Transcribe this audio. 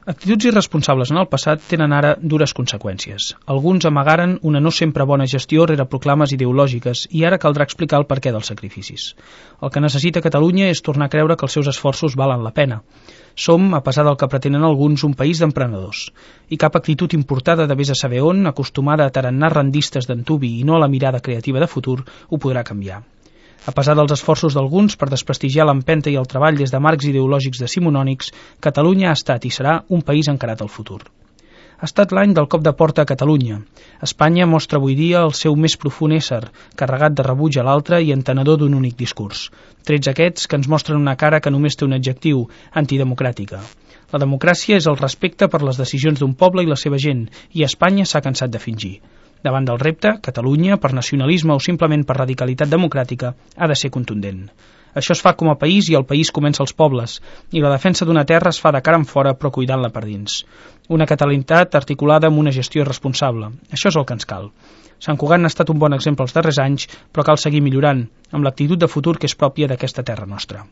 Actituds irresponsables en el passat tenen ara dures conseqüències. Alguns amagaren una no sempre bona gestió rere proclames ideològiques i ara caldrà explicar el perquè dels sacrificis. El que necessita Catalunya és tornar a creure que els seus esforços valen la pena. Som, a pesar del que pretenen alguns, un país d'emprenedors. I cap actitud importada de vés a saber on, acostumada a tarannars rendistes d'antubi i no a la mirada creativa de futur, ho podrà canviar. A pesar dels esforços d'alguns per desprestigiar l'empenta i el treball des de marcs ideològics decimonònics, Catalunya ha estat i serà un país encarat al futur. Ha estat l'any del cop de porta a Catalunya. Espanya mostra avui dia el seu més profund ésser, carregat de rebuig a l'altre i entenedor d'un únic discurs. Trets aquests que ens mostren una cara que només té un adjectiu, antidemocràtica. La democràcia és el respecte per les decisions d'un poble i la seva gent, i Espanya s'ha cansat de fingir. Davant del repte, Catalunya, per nacionalisme o simplement per radicalitat democràtica, ha de ser contundent. Això es fa com a país i el país comença als pobles, i la defensa d'una terra es fa de cara enfora però cuidant-la per dins. Una catalanitat articulada amb una gestió responsable. Això és el que ens cal. Sant Cugat n'ha estat un bon exemple els darrers anys, però cal seguir millorant, amb l'actitud de futur que és pròpia d'aquesta terra nostra.